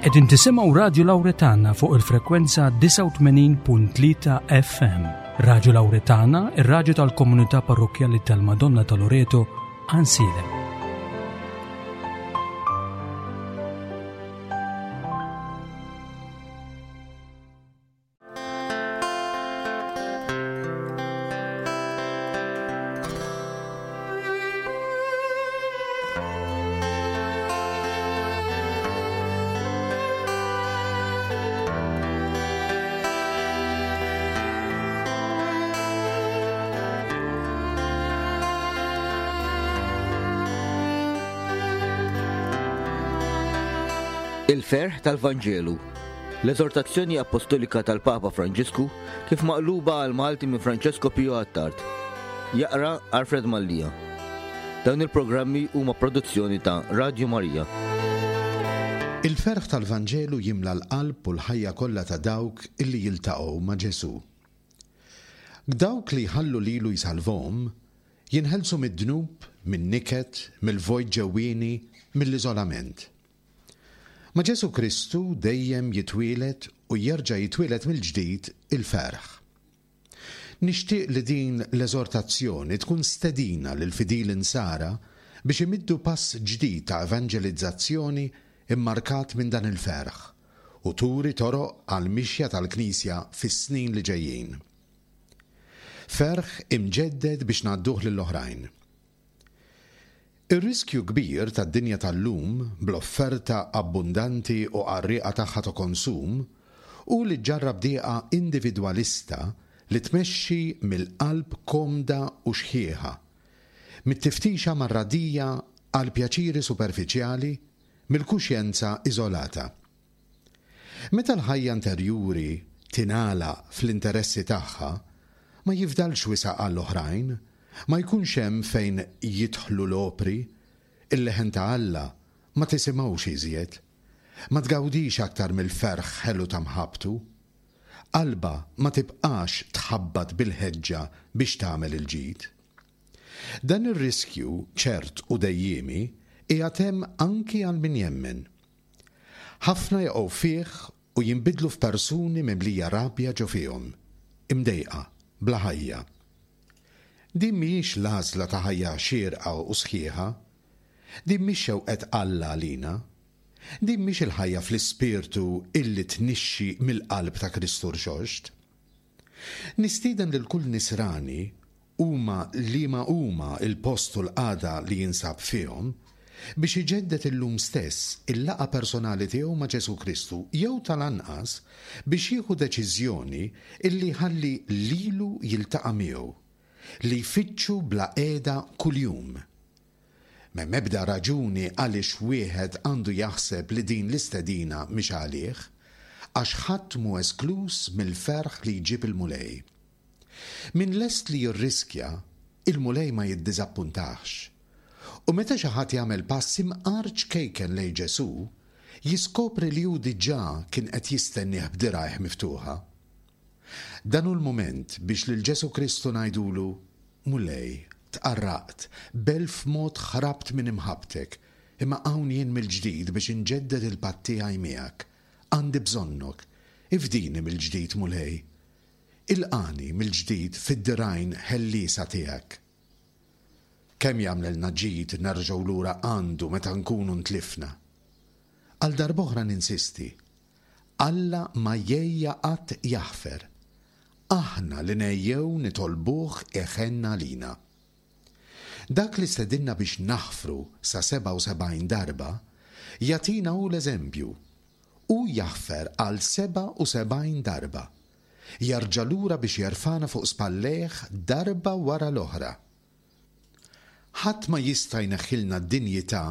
Qegħdin tisimgħu Radju Lawretana fuq il-frekwenza 89.3 FM. Radju Lawretana, ir-radju tal-komunità parrokkjali tal-Madonna ta' Loreto, Ansilem. Il-ferħ tal-Vanġelu. L-eżortazzjoni appostolika tal-Papa Franġisku kif maqluba għal Malti minn Francesco Pio Attard. Jaqra Alfred Mallia. Dawn il-programmi huma produzzjoni ta' Radio Maria. Il-ferħ tal-Vanġelu jimla l-qalb u l-ħajja kollha ta' dawk illi jiltaqgħu ma' Ġesù. Dawk li jħallu lilu jsalvhom, jinħelsu mid-dnub, min-niket, mill-vojt ġewwieni, mill-iżolament. Ma' Ġesù Kristu dejjem jitwieled u jerġa' jitwieled mill-ġdid il-ferħ. Nixtieq li din l-eżortazzjoni tkun stedina lill-fidili Nsara biex imiddu pass ġdid ta' evanġelizzazzjoni mmarkat minn dan il-ferħ u turi toroq għall-mixja tal-Knisja fis-snin li ġejjin. Ferħ imġedded biex ngħadduh lill-oħrajn. Ir-riskju kbir tad-dinja tal-lum, bl-offerta abbundanti u qarrieqa tagħha ta' konsum, hu li ġġarrab dieqa individwalista li tmexxi mill-qalb komda u xħiħa, mit-tiftixa marradija għall-pjaċiri superfiċjali, mill-kuxjenza iżolata. Meta l-ħajja interjuri tingħalaq fl-interessi tagħha, ma jifdalx wisa' għall-oħrajn, ma jkunx hemm fejn jidħlu l-opri, il-leħen ta' Alla ma tisimgħux iżjed, ma tgawdix aktar mill-ferħ ħelu ta' mħabbtu. Qalbha ma tibqax tħabbat bil-ħeġġa biex tagħmel il-ġid. Dan ir-riskju ċert u dejjiemi qiegħed hemm anki għal min jemmen. Ħafna jaqgħu fih u jinbidlu f'persuni mimlija rabja ġo fihom, imdejqa, bla ħajja. Din mhijiex l-għażla ta' ħajja xierqa u sħiħa. Din mhix xewqet Alla għalina. Din mhix il-ħajja fl-Ispirtu illi tnixxi mill-qalb ta' Kristu Rxoxt. Nistieden lil kull Nisrani, huma liema huma l-post u l-qagħda li jinsab fihom, biex iġedded illum stess il-laqgħa personali tiegħu ma' Ġesù Kristu jew tal-anqas biex jieħu deċiżjoni illi jħalli lilu jiltaqa' miegħu, li jfittxu bla qiegħda kuljum. M'hemm ebda raġuni għaliex wieħed għandu jaħseb li din l-istedina mhix għalih, għax ħadd mhu eskluż mill-ferħ li jġib il-Mulej. Min lest li jirriskja, il-Mulej ma jiddiżappuntahx. U meta xi ħadd jagħmel pass imqar ċkejken lejn Ġesù, jiskopri li hu diġà kien qed jistennieh b'dirgħajh miftuħa. Dan hu l-mument biex lil Ġesù Kristu ngħidulu, Mulej, tqarraqt, b'elf mod ħrabt minn imħabbtek, imma hawn jien mill-ġdid biex inġedded il-patt tiegħi miegħek. Għandi bżonnok. Ifdini mill-ġdid, Mulej. Ilqagħni mill-ġdid fid-dirgħajn ħelliesa tiegħek. Kemm jagħmlilna ġid nerġgħu lura għandu meta nkunu ntlifna! Għal darb'oħra ninsisti, Alla ma jgħejja qatt jaħfer. Aħna li ngħejjew nitolbuh iħenn għalina. Dak li stedinna biex naħfru sa 77 darba, jagħtina hu l-eżempju. Hu jaħfer għal 77 darba. Jerġa' lura biex jerfagħna fuq spallejh darba wara l-oħra. Ħadd ma jista' jneħħilna d-dinjità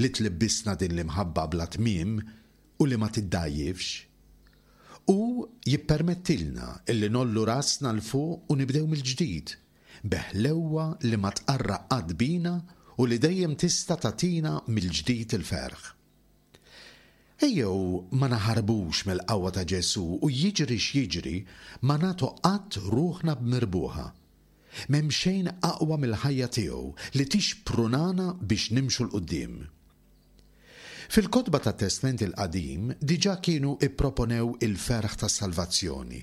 li tlibbisna din l-imħabba bla tmiem u li ma tiddgħajjifx. Hu jippermettilna illi ngħollu rasna 'l fuq u nibdew mill-ġdid, bi ħlewwa li ma tqarraq qatt bina u li dejjem tista' tagħtina mill-ġdid il-ferħ. Ejjew ma naħarbux mill-qawwa ta' Ġesù u jiġri x'jiġri ma nagħtu qatt ruħna b'mirbuħa. M'hemm xejn aqwa mill-ħajja tiegħu li tixprunana biex nimxu 'l quddiem. Fil-kotba tat-Testment il-Qadim diġà kienu pproponew il-ferħ tas-salvazzjoni,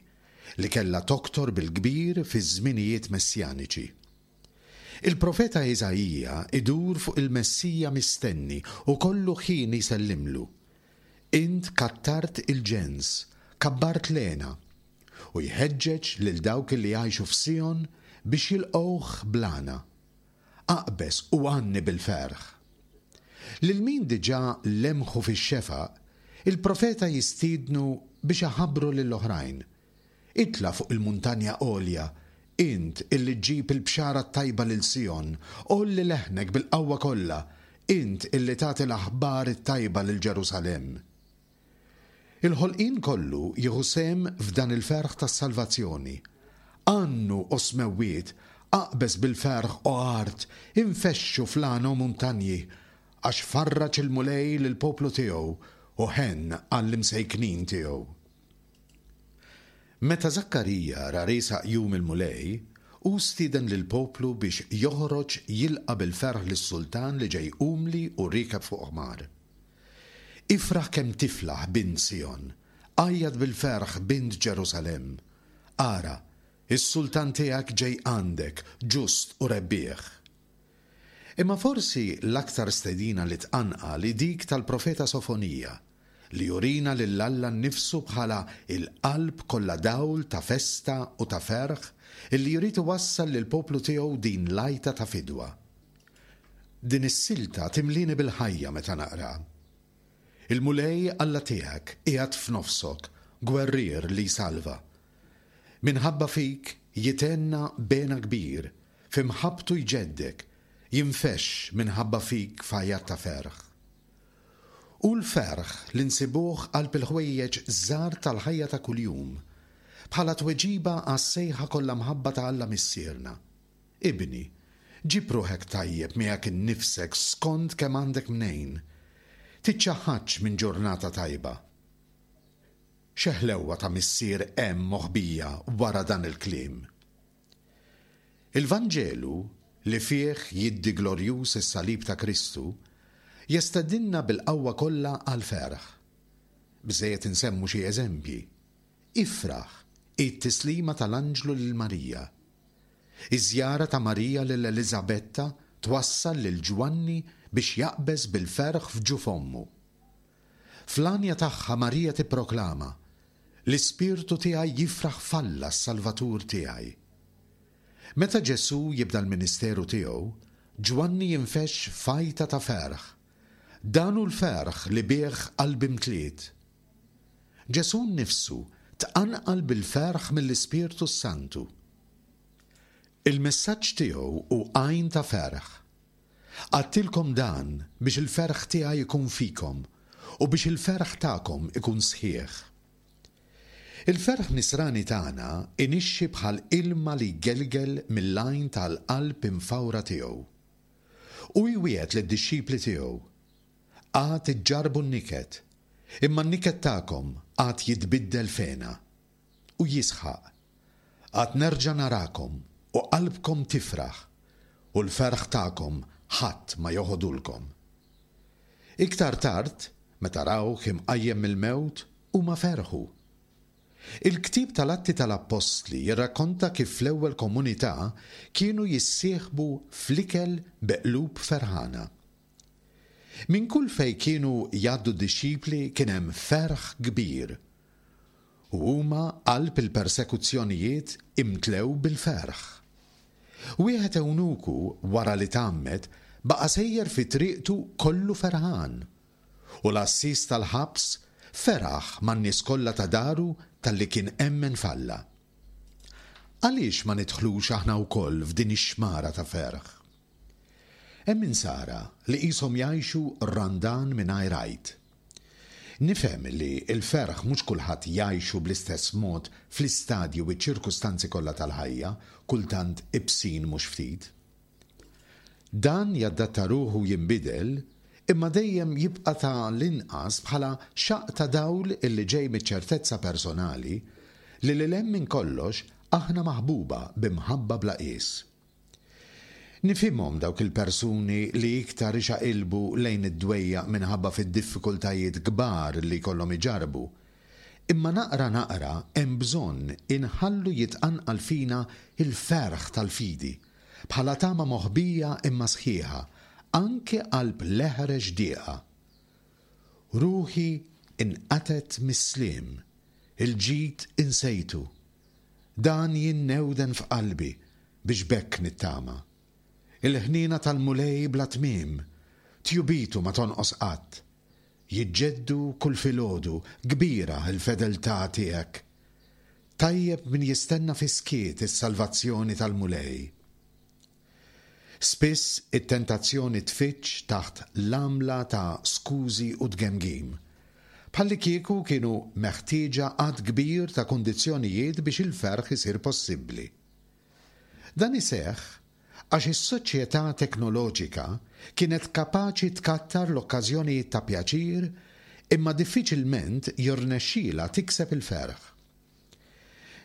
li kellha toktor bil-kbir fiż-żminijiet messjaniċi. Il-profeta Iżaija idur fuq il-Messija mistenni u kollu ħin jsellimlu, Int kattart il-ġens, kabbart l-hena. U jħeġġeġ lil dawk li jgħixu f'Sijon biex jilqgħuh bl-għana. Aqbeż u għanni bil-ferħ. Lil min diġà lemħu fix-xefaq, il-profeta jistiednu biex iħabbru lil oħrajn, Itla' fuq il-muntanja għolja, int illi ġġib il-bxara t-tajba lil Sijon, għolli leħnek bil-qawwa kollha, int illi tagħti l-aħbar it-tajba lil Ġerusalemm. Il-ħolqien kollu jieħu sehem f'dan il-ferħ tas-salvazzjoni. Għannu, o smewwiet, aqbeż bil-ferħ, o art, infexxu fl-għana, o muntanji, għax farraġ il-Mulej lill-poplu tiegħu u ħenn għall-imsejknin tiegħu. Meta Żakkarija ra riesaq jum il-Mulej, hu stieden lill-poplu biex joħroġ jilqa' bil-ferħ lis-sultan li ġej umli u riekeb fuq ħmar. Ifraħ kemm tiflaħ, bint Sijon! Għajjat bil-ferħ, bint Ġerusalemm! Ara, is-sultan tiegħek ġej għandek, ġust u rebbieħ. Imma forsi l-aktar stedina li tqanqal hi dik tal-profeta Sofonija, li jurina lil Alla nnifsu bħala l-qalb kollha dawl ta' festa u ta' ferħ illi jrid iwassal lill-poplu tiegħu din l-għajta ta' fidwa. Din is-silta timlieni bil-ħajja meta naqraha. Il-Mulej Alla tiegħek qiegħed f'nofsok, gwerrier li jsalva. Minħabba fik jithenna b'hena kbir, fi mħabbtu jġeddek, jinfexx minħabba fik f'għajat ta' ferħ. Hu l-ferħ li nsibuh qalb il-ħwejjeġ żgħar tal-ħajja ta' kuljum, bħala tweġiba għas-sejħa kollha mħabba ta' Alla Missierna, Ibni, ġib ruħek tajjeb miegħek innifsek skont kemm għandek mnejn. Tiċċaħħadx minn ġurnata tajba. Xi ħlewwa ta' missier hemm moħbija wara dan il-kliem! Il-Vanġelu, li fih jiddi glorjuż is-salib ta' Kristu, jestedinna bil-qawwa kollha għall-ferħ. Biżżejjed insemmu xi eżempji. Ifraħ hi t-tislima tal-anġlu lil Marija. Iż-żjara ta' Marija lil Eliżabetta twassal lil Ġwanni biex jaqbeż bil-ferħ f'ġuf ommu. Fl-għanja tagħha Marija tipproklama, L-ispirtu tiegħi jifraħ f'Alla s-Salvatur tiegħi. Meta Ġesù jibda l-ministeru tiegħu, Ġwanni jinfexx f'għajta ta' ferħ, Dan hu l-ferħ li bih qalbi mtliet. Ġesù nnifsu tqanqal bil-ferħ mill-Ispirtu s-Santu. Il-messaġġ tiegħu hu għajn ta' ferħ. Għadtilkom dan biex il-ferħ tiegħi jkun fikom u biex il-ferħ tagħkom ikun sħiħ. Il-ferħ nisrani tagħna inixxi bħal ilma li jgelgel mill-għajn tal-qalb imfawra tiegħu. Hu jwiegħed lid-dixxipli tiegħu, Għad iġġarrbu n-niket, imma n-niket tagħkom għad jitbiddel f'hena. U jisħaq, Għad nerġa' narakom u qalbkom tifraħ, u l-ferħ tagħkom ħadd ma joħodulkom. Iktar tard, meta rawh imqajjem mill-mewt, huma ferħu. Il-ktieb tal-Atti tal-Appostli jirrakkonta kif fl-ewwel komunità kienu jissieħbu fl-ikel bi qlub ferħana. Minn kull fejn kienu jgħaddu d-dixxipli kien hemm ferħ kbir. U huma qalb il-persekuzzjonijiet imtlew bil-ferħ. Wieħed ewnuku wara li tgħammed baqa' sejjer fi triqtu kollu ferħan. U l-għassies tal-ħabs feraħ man-nies kollha ta' daru talli kien emmen f'Alla. Għaliex ma nidħlux aħna wkoll f'din ix-xmara ta' ferħ? Hemm Insara li qishom jgħixu Randan mingħajr Għid. Nifhem li l-ferħ mhux kulħadd jgħixu bl-istess mod fl-istadji u ċ-ċirkustanzi kollha tal-ħajja, kultant ibsin mhux ftit. Dan jaddatta ruħu u jinbidel, imma dejjem jibqa' ta' l-inqas bħala xaqq ta' dawl illi ġej miċ-ċertezza personali li lil hemm minn kollox aħna maħbuba bi mħabba bla qies. Nifhimhom dawk il-persuni li iktar ixaqilbu lejn id-dwejjaq minħabba fid-diffikultajiet kbar li jkollhom iġarrbu. Imma naqra naqra hemm bżonn inħallu jitqanqal fina l-ferħ tal-fidi, bħala tama moħbija imma sħiħa, anki qalb l-eħrex dieqa. Ruħi inqatgħet mis-sliem, il-ġid insejtu. Dan jinnewden f'qalbi biex b'hekk nittama. Il-ħniena tal-Mulej bla tmiem, tjubitu ma tonqos qatt. Jiġġeddu kull filgħodu, kbira l-fedeltà tiegħek. Tajjeb min jistenna fis-skiet is-salvazzjoni tal-Mulej. Spiss it-tentazzjoni tfiġġ taħt l-għamla ta' skużi u tgemgim. Bħallikieku kienu meħtieġa għadd kbir ta' kundizzjonijiet biex il-ferħ isir possibbli. Dan iseħħ għax is-soċjetà teknoloġika kienet kapaċi tkattar l-okkażjonijiet ta' pjaċir imma diffiċilment jirnexxilha tikseb il-ferħ.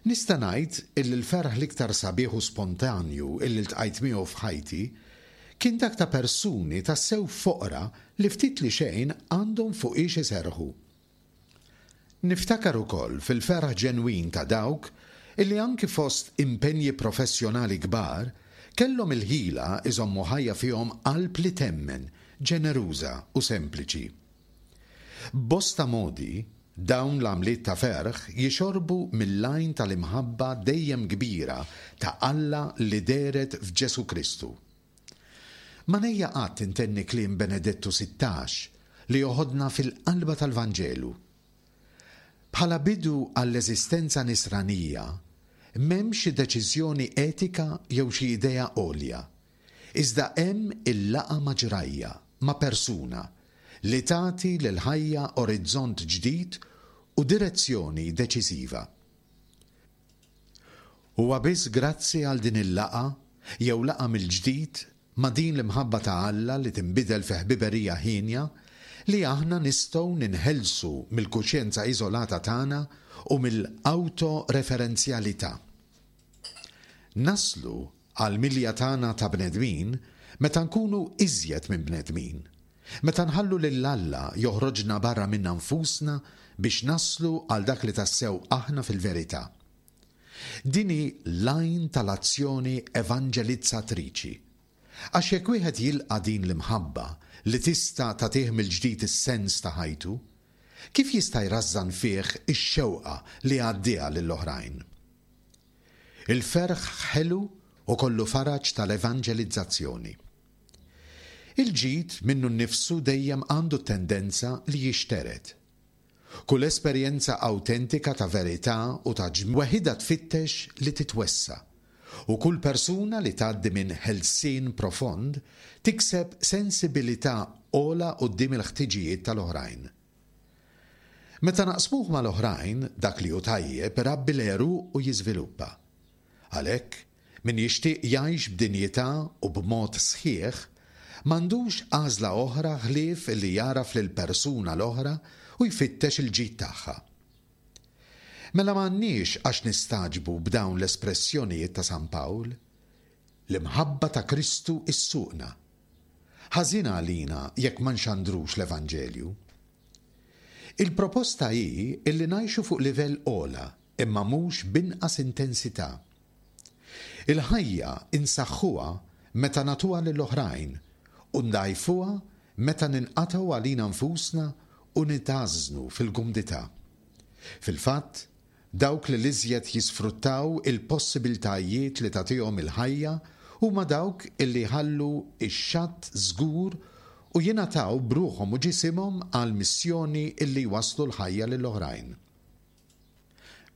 Nista' ngħid illi l-ferħ l-iktar sabiħ u spontanju illi ltqajt miegħu f'ħajti kien dak ta' persuni tassew foqra li ftit li xejn għandhom fuqiex iserrħu. Niftakar ukoll fil-ferħ ġenwin ta' dawk illi anki fost impenji professjonali kbar kellhom il-ħila jżommu ħajja fihom qalb li temmen, ġeneruża u sempliċi. B'bosta modi, dawn l-għamliet ta' ferħ jixorbu mill-għajn tal-imħabba dejjem kbira ta' Alla li dehret f'Ġesù Kristu. Ma ngħejja qatt intenni kliem Benedettu 16 li joħodna fil-qalba tal-Vanġelu. Bħala bidu għall-eżistenza nisranija, m'hemm xi deċiżjoni etika jew xi idea għolja, iżda hemm il-laqgħa ma' ġrajja, ma' persuna, li tagħti lill-ħajja orizzont ġdid u direzzjoni deċiżiva. Huwa biss grazzi għal din il-laqgħa, jew laqgħa mill-ġdid ma' din l-imħabba ta' Alla li tinbidel fi ħbiberija hienja, li aħna nistgħu ninħelsu mill-kuxjenza iżolata tagħna u mill-awtoreferenzjalità. Naslu għall-milja tagħna ta' bnedmin meta nkunu iżjed minn bnedmin, meta nħallu lil Alla joħroġna barra minna nfusna biex naslu għal dak li tassew aħna fil-verità. Din hi l-għajn tal-azzjoni evanġelizzatriċi. Għax jekk wieħed jilqa' din l-imħabba li tista' tagħtih mill-ġdid is-sens ta' ħajtu, kif jista' jrażżan fih ix-xewqa li jgħaddiha lill-oħrajn? Il-ferħ ħelu u kollu faraġ tal-evanġelizzazzjoni. Il-ġid minnu nnifsu dejjem għandu t-tendenza li jixtered. Kull esperjenza awtentika ta' verità u ta' weħidha tfittex li titwessa', u kull persuna li tgħaddi minn ħelsien profond tikseb sensibilità ogħla quddiem il-ħtiġijiet tal-oħrajn. Meta naqsmuh mal-oħrajn, dak li hu tajjeb irabbi l-għeruq u jiżviluppa. Għalhekk, min jixtieq jgħix b'dinjità u b'mod sħiħ, m'għandux għażla oħra ħlief li jagħraf lill-persuna l-oħra u jfittex il-ġid tagħha. Mela m'għandniex għax nistagħġbu b'dawn l-espressjonijiet ta' San Pawl, L-imħabba ta' Kristu ssuqna. Ħażin għalina jekk ma nxandrux l-Evanġelju. Il-proposta hi illi ngħixu fuq livell ogħla imma mhux b'inqas intensità. Il-ħajja insaħħuha meta nagħtuha lill-oħrajn u ndgħajfuha meta ninqatgħu għalina nfusna u nitgħażżnu fil-kumdità. Fil-fatt, dawk li l-iżjed jisfruttaw il-possibiltajiet li tagħtihom il-ħajja huma dawk illi jħallu x-xatt żgur u jingħataw b'ruħhom u ġisimhom għall-missjoni illi jwasslu l-ħajja lill-oħrajn.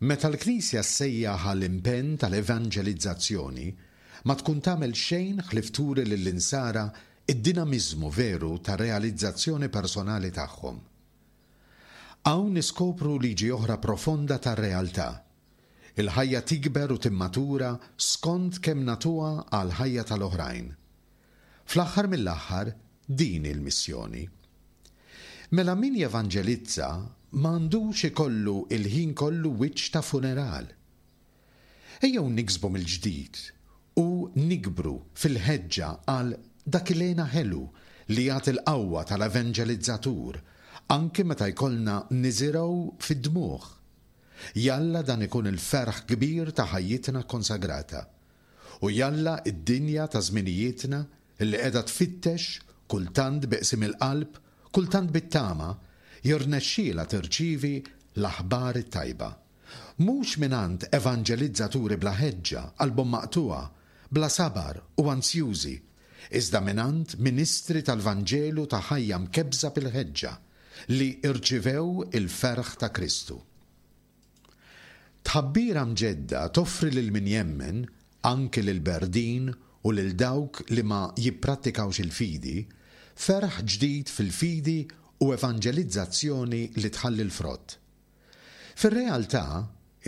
Meta l-Knisja ssejjaħ għall-impenn tal-evanġelizzazzjoni, ma tkun tagħmel xejn ħlief turi lill-insara d-dinamiżmu veru tar-realizzazzjoni personali tagħhom. Hawn niskopru liġi oħra profonda tar-realtà, il-ħajja tikber u timmatura skont kemm nagħtuha għall-ħajja tal-oħrajn. Fl-aħħar mill-aħħar, din hi l-missjoni. Mela min jevanġelizza m'għandux ikollu l-ħin kollu wiċċ ta' funeral. Ejjew niksbu mill-ġdid. u nikbru fil-ħeġġa għal dak il-hena ħelu li jagħti l-qawwa tal-evanġelizzatur, anki meta jkollna niżirgħu fid-dmugħ. Jalla dan ikun il-ferħ kbir ta' ħajjitna kkonsagrata. U jalla d-dinja ta' żminijietna li qiegħda tfittex, kultant bi qsim il-qalb, kultant bit-tama, jirnexxielha tirċievi l-aħbar it-tajba. Mhux mingħand evanġelizzaturi bla ħeġġa, qalbhom maqtugħa, bla sabar u anzjużi, iżda mingħand ministri tal-Vanġelu ta' ħajja mkebbża bil-ħeġġa, li rċivew il-ferħ ta' Kristu. Tħabbira mġedda toffri lil min jemmen, anki lill-berdin u lil dawk li ma jipprattikawx il-fidi, ferħ ġdid fil-fidi u evanġelizzazzjoni li tħalli l-frott. Fir-realtà,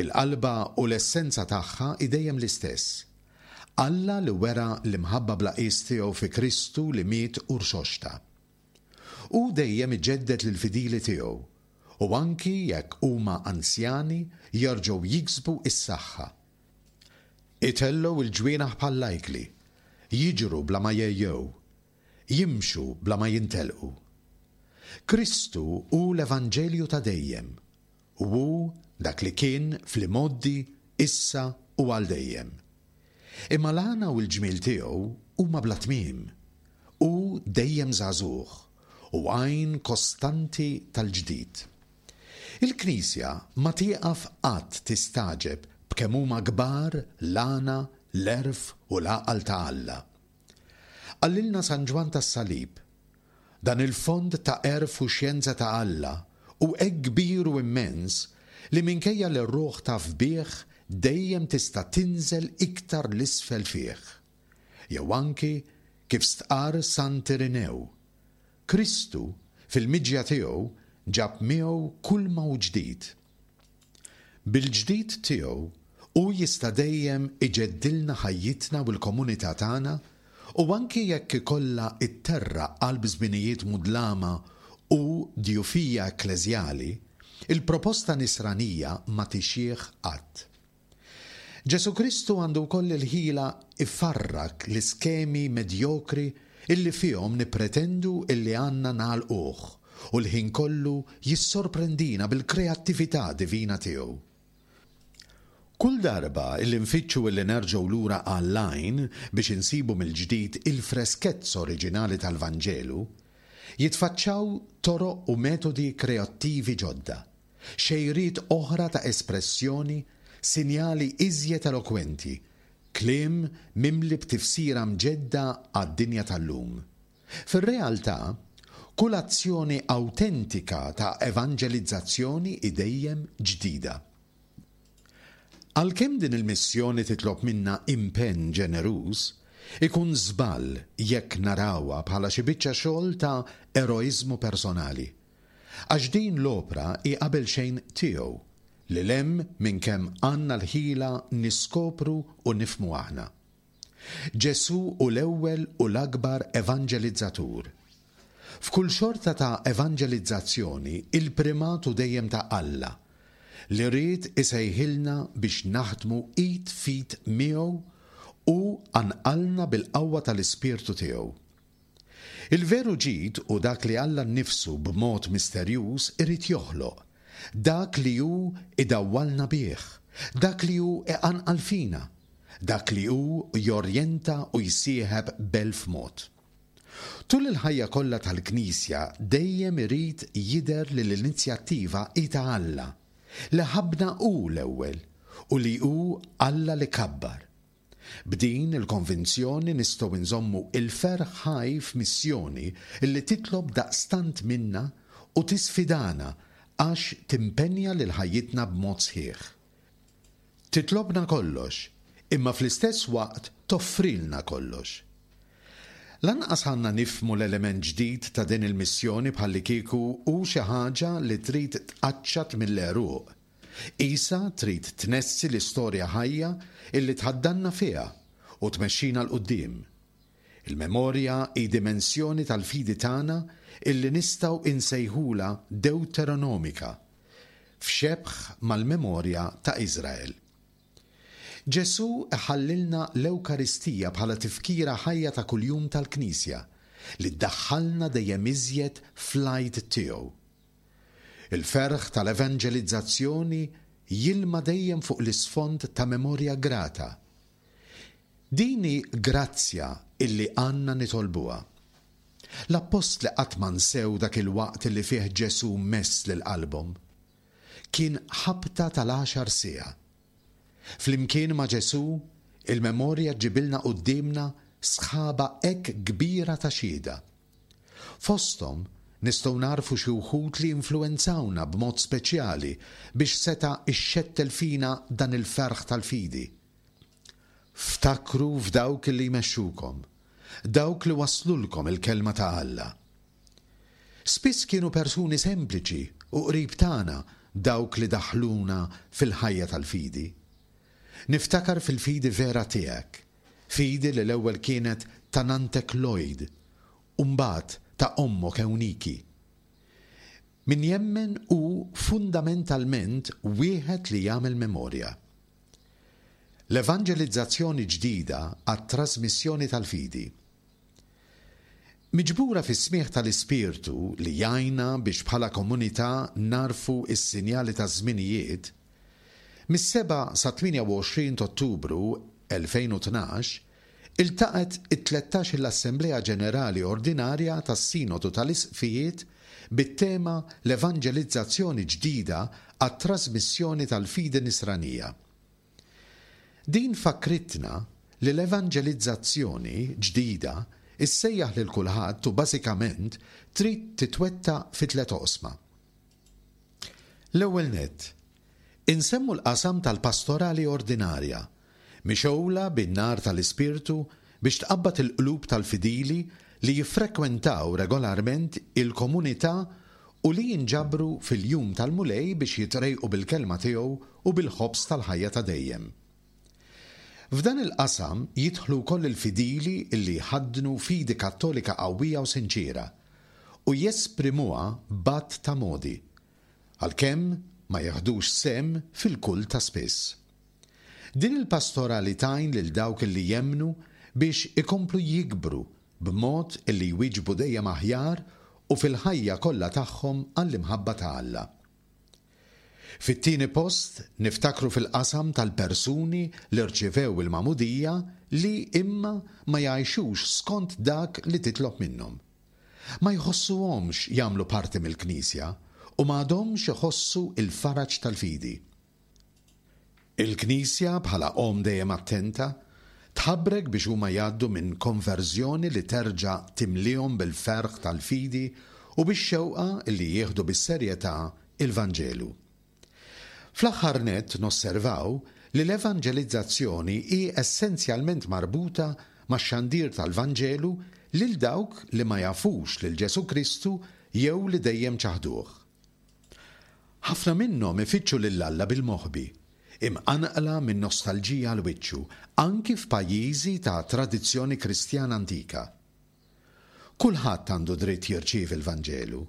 il-qalba u l-essenza tagħha hi dejjem l-istess, Alla li wera l-imħabba bla qies tiegħu fi Kristu li miet u rxoxta. Hu dejjem iġedded lill-fidili tiegħu, u anki jekk huma anzjani jerġgħu jiksbu s-saħħa. Itellgħu l-ġwienaħ bħall-ajkli, jiġru bla ma jgħejjew, jimxu bla ma jintelqu. Kristu hu l-Evanġelju ta' dejjem, u hu dak li kien fl-imgħoddi, issa u għal dejjem. Imma l-għana u l-ġmiel tiegħu huma bla tmiem. Hu dejjem żagħżugħ u għajn kostanti tal-ġdid. Il-Knisja ma tieqaf qatt tistagħġeb b'kemm huma kbar l-għana, l-għerf u l-għaqal ta' Alla. Qalilna San Ġwann tas-Salib, Dan il-fond ta' għerf u xjenza ta' Alla hu hekk kbir u immens li minkejja li r-ruħ taf bih dejjem tista' tinżel iktar 'l isfel fih. Jew anki kif stqarr Sant Irinew, Kristu, fil-miġja tiegħu, ġab miegħu kulma hu ġdid. Bil-ġdid tiegħu, hu jista' dejjem iġeddilna ħajjitna u l-komunità tagħna u anki jekk ikollha tterraq qalb żminijiet mudlama u djufija ekkleżjali, il-proposta nisranija ma tixjieħ qatt. Ġesù Kristu għandu wkoll il-ħila jfarrak l-iskemi medjokri illi fihom nippretendu illi għandna nagħlquh u l-ħin kollu jissorprendina bil-kreattività divina tiegħu. Kull darba illi nfittxu illi nerġgħu lura għall-għajn biex insibu mill-ġdid il-freskezza oriġinali tal-Vanġelu, jitfaċċaw toroq u metodi kreattivi ġodda. xejriet oħra ta' espressjoni, sinjali iżjed elokwenti, kliem mimli b'tifsira mġedda għad-dinja tal-lum. Fir-realtà, kull azzjoni awtentika ta' evanġelizzazzjoni hi dejjem ġdida. Għalkemm din il-missjoni titlob minna impenn ġeneruż, ikun żball jekk narawha bħala xi biċċa xogħol ta' eroiżmu personali. Għax din l-opra hi qabel xejn tiegħu, lil hemm minn kemm għandna l-ħila niskopru u nifhmu aħna. Ġesù hu l-ewwel u l-akbar evanġelizzatur. F'kull xorta ta' evanġelizzazzjoni il-primat hu dejjem ta' Alla, li ried isejħilna biex naħdmu id f'id miegħu u qanqalna bil-qawwa tal-Ispirtu tiegħu. Il-veru ġid hu dak li Alla nnifsu b'mod misterjuż irid joħloq, dak li hu idawwalna bih, dak li hu iqanqal fina, dak li hu jorjenta u jsieħeb b'elf mod. Tul il-ħajja kollha tal-Knisja dejjem irid jidher li l-inizjattiva hi ta' Alla, li ħabbna hu l-ewwel u li hu Alla li kabbar. B'din il-konvinzjoni nistgħu nżommu l-ferħ ħaj f'missjoni li titlob daqstant minna u tisfidana għax timpenja lil ħajjitna b'mod sħiħ. Titlobna kollox, imma fl-istess waqt toffrilna kollox. Lanqas għandna nifhmu l-element ġdid ta' din il-missjoni bħallikieku hu xi ħaġa li trid tqaċċat mill-għeruq. Qisha trid tnessi l-istorja ħajja illi tħaddanna fiha u tmexxina 'l quddiem. Il-memorja hi dimensjoni tal-fidi tagħna illi nistgħu insejħulha dewteronomika, f'xebh mal-memorja ta' Iżrael. Ġesù iħallilna l-Ewkaristija bħala tifkira ħajja ta' kuljum tal-Knisja, li ddaħħalna dejjem iżjed fl-Għid tiegħu. Il-ferħ tal-evanġelizzazzjoni jilma dejjem fuq l-isfond ta' memorja grata. Din hi grazzja illi għandna nitolbuha. L-appostli qatt ma nsew dak il-waqt illi fih Ġesù mess lil qalbhom. Kien ħabta tal-għaxar siegħa. Flimkien ma' Ġesù, il-memorja ġġibilna quddiemna sħaba hekk kbira ta' xhieda. Fosthom nistgħu nagħrfu xi wħud li influwenzawna b'mod speċjali biex seta' ixxettel fina dan il-ferħ tal-fidi. Ftakru f'dawk li jmexxukom, dawk li wasslulkom il-Kelma ta' Alla. Spiss kienu persuni sempliċi u qrib tagħna dawk li daħħluna fil-ħajja tal-fidi. Niftakar fil-fidi vera tiegħek, fidi li l-ewwel kienet ta' nanntek Lloyd u mbagħad ta' ommok Ewniki. Min jemmen hu fundamentalment wieħed li jagħmel memorja. L-evanġelizzazzjoni ġdida għat-trasmissjoni tal-fidi. Miġbura fis-smigħ tal-Ispirtu li jgħinna biex bħala komunità nagħrfu s-sinjali taż-żminijiet, mis-7 sat-28 t'Ottubru 2012 iltaqgħet it-tlettax-il Assemblea Ġenerali Ordinarja tas-Sinodu tal-Isqfijiet bit-tema L-Evanġelizzazzjoni Ġdida għat-Trasmissjoni tal-Fidi Nisranija. Din fakkritna li l-evanġelizzazzjoni ġdida ssejjaħ lil kulħadd u bażikament trid titwettaq fi tlett oqsma. L-ewwel nett, insemmu l-qasam tal-pastorali ordinarja, mixgħula bin-nar tal-Ispirtu biex tqabbad il-qlub tal-fidili li jiffrekwentaw regolarment il-komunità u li jinġabru fil-jum tal-Mulej biex jitrejqu bil-Kelma tiegħu u bil-ħobż tal-ħajja ta' dejjem. F'dan il-qasam jidħlu wkoll il-fidili li jħaddnu fidi Kattolika qawwija u sinċiera u jesprimuha b'għadd ta' modi, għalkemm ma jiħdux sehem fil-kult ta' spiss. Din il-pastorali tgħin lil dawk li jemmnu biex ikomplu jikbru b'mod li jwieġbu dejjem aħjar u fil-ħajja kollha tagħhom għall-imħabba ta' Alla. Fit-tieni post niftakru fil-qasam tal-persuni li rċivew il-magħmudija li imma ma jgħixux skont dak li titlob minnhom. Ma jħossuhomx jagħmlu parti mill-Knisja u m'għadhomx iħossu l-faraġ tal-fidi. Il-Knisja, bħala omm dejjem attenta, tħabbrek biex huma jgħaddu minn konverżjoni li terġa' timliehom bil-ferħ tal-fidi u bix-xewqa li jieħdu bis-serjetà il-Vanġelu. Fl-aħħar nett nosservaw li l-evanġelizzazzjoni hi essenzjalment marbuta max-xandir tal-Vanġelu lil dawk li ma jafux lil Ġesù Kristu jew li dejjem ċaħduh. Ħafna minnhom ifittxu lil Alla bil-moħbi, imqanqla minn nostalġija għal wiċċu, anki f'pajjiżi ta' tradizzjoni Kristjana antika. Kulħadd għandu dritt jirċievi l-Vanġelu.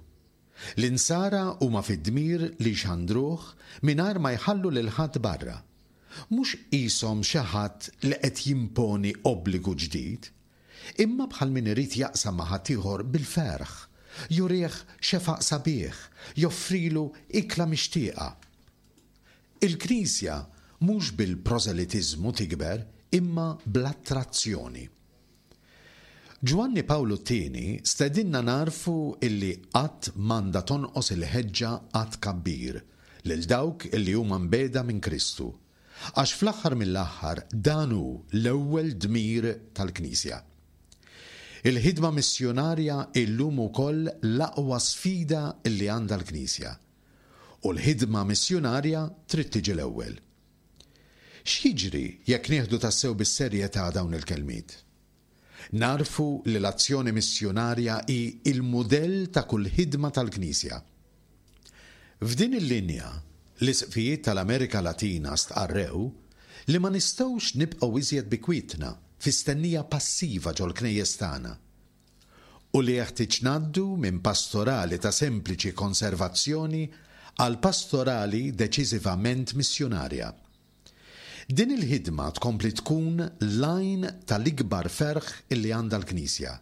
L-Insara huma fid-dmir li jxandruh mingħajr ma jħallu lil ħadd barra. Mhux qishom xi ħadd li qed jimponi obbligu ġdid, Imma bħal min irid jaqsam ma' ħaddieħor bil-ferħ, jurih xefaq sabiħ, joffrilu ikla mixtieqa. Il-Knisja mhux bil-prożelitiżmu tikber imma bl-attrazzjoni. Ġwanni Pawlu t-Tieni stedinna nagħrfu illi qatt m'għandha tonqos il-ħeġġa għat-tkabbir lil dawk illi huma mbiegħda minn Kristu. Għax fl-aħħar mill-aħħar dan hu l-ewwel dmir tal-Knisja. Il-ħidma missjunarja hi llum ukoll l-aqwa sfida li għandha l-Knisja. U l-ħidma missjunarja trid tiġi l-ewwel. X'jiġri jekk nieħdu tassew bis-serjetà dawn il-kelmiet? Nagħrfu li l-azzjoni missjunarja hi l-mudell ta' kull ħidma tal-Knisja. F'din il-linja, l-Isqfijiet tal-Amerika Latina stqarrew li ma nistgħux nibqgħu iżjed bi kwietna fi stennija passiva ġol-knejjes tagħna u li jeħtieġ ngħaddu minn pastorali ta' sempliċi konservazzjoni għal pastorali deċiżivament missjunarja. Din il-ħidma tkompli tkun l-għajn tal-ikbar ferħ illi għandha l-Knisja.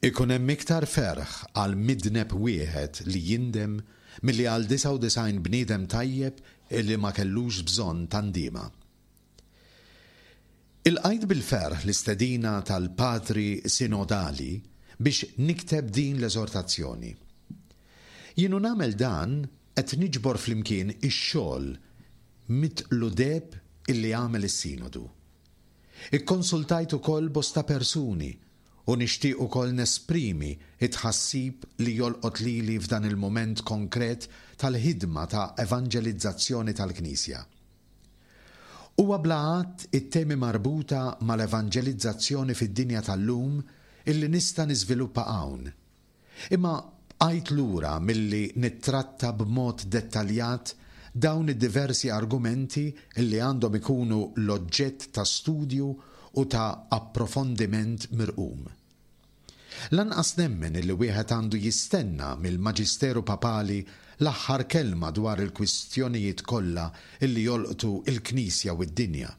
Ikun hemm iktar ferħ għal midneb wieħed li jindem milli għal 99 bniedem tajjeb illi ma kellux bżonn ta' ndiema. Ilqajt bil-ferħ l-istedina tal-Patri Sinodali biex nikteb din l-eżortazzjoni. Jien u nagħmel dan qed niġbor flimkien ix-xogħol mitqlu deheb illi għamel is-Sinodu. Ikkonsultajt ukoll bosta persuni u nixtieq ukoll nesprimi t-tħassib li jolqot lili f'dan il-mument konkret tal-ħidma ta' evanġelizzazzjoni tal-Knisja. Huwa bla għadd it-temi marbuta mal-evanġelizzazzjoni fid-dinja tal-lum illi nista' niżviluppa hawn. Imma bqajt lura milli nittratta b'mod dettaljat dawn id-diversi argumenti illi għandhom ikunu l-oġġett ta' studju u ta' approfondiment mirqum. Lanqas nemmen illi wieħed għandu jistenna mill-Maġisteru Papali l-aħħar kelma dwar il-kwistjonijiet kollha illi jolqtu l-Knisja u d-dinja.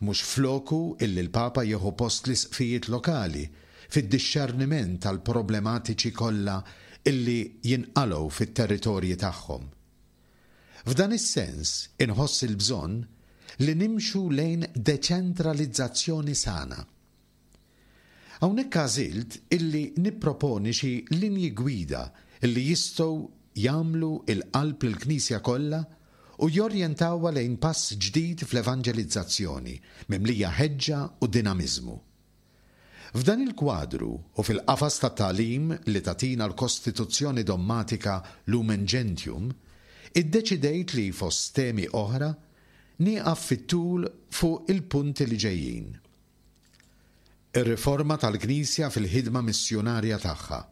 Mhux f'loku illi l-Papa jieħu post l-Isqfijiet lokali fid-dixxerniment tal-problematiċi kollha illi jinqalgħu fit-territorji tagħhom. F'dan is-sens inħoss il-bżonn li nimxu lejn deċentralizzazzjoni sana. Hawnhekk għażilt illi nipproponi xi linji gwida illi jistgħu jagħmlu l-qalb lill-Knisja kollha u jorjentawha lejn pass ġdid fl-evanġelizzazzjoni mimlija ħeġġa u dinamiżmu. F'dan il-kwadru u fil-qafas tat-tagħlim li tagħtina l-Kostituzzjoni Dommatika Lumen Gentium, iddeċidejt li, fost temi oħra, nieqaf fit-tul fuq il-punti li ġejjin. Ir-riforma tal-Knisja fil-ħidma missjunarja tagħha.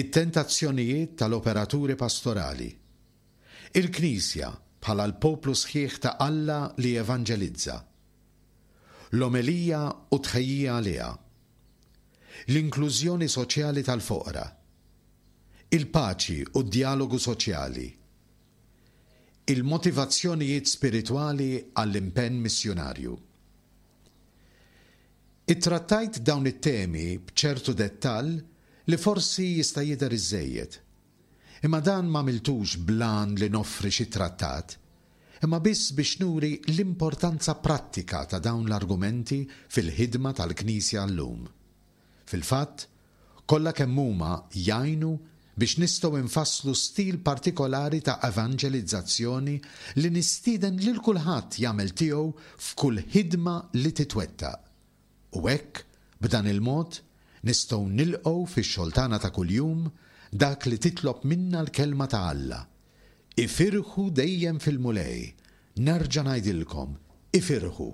It-tentazzjonijiet tal-operaturi pastorali. Il-Knisja bħala l-poplu sħiħ ta' Alla li jevanġelizza. L-omelija u t-tħejjija għaliha. L-inklużjoni soċjali tal-foqra. Il-paċi u d-djalogu soċjali. Il-motivazzjonijiet spiritwali għall-impenn missjunarju. Ittrattajt dawn it-temi b'ċertu dettall li forsi jista' jidher iżżejjed. Imma dan m'għamiltux bl-għan li noffri xi trattat, imma biss biex nuri l-importanza prattika ta' dawn l-argumenti fil-ħidma tal-Knisja llum. Fil-fatt, kollha kemm huma jgħinu biex nistgħu nfasslu stil partikolari ta' evanġelizzazzjoni li nistieden lil kulħadd jagħmel tiegħu f'kull ħidma li titwettaq. U hekk, b'dan il-mod, nistgħu nilqgħu fix-xogħol tagħna ta' kuljum dak li titlob minna l-Kelma ta' Alla, Ifirħu dejjem fil-Mulej, nerġa' ngħidilkom, ifirħu!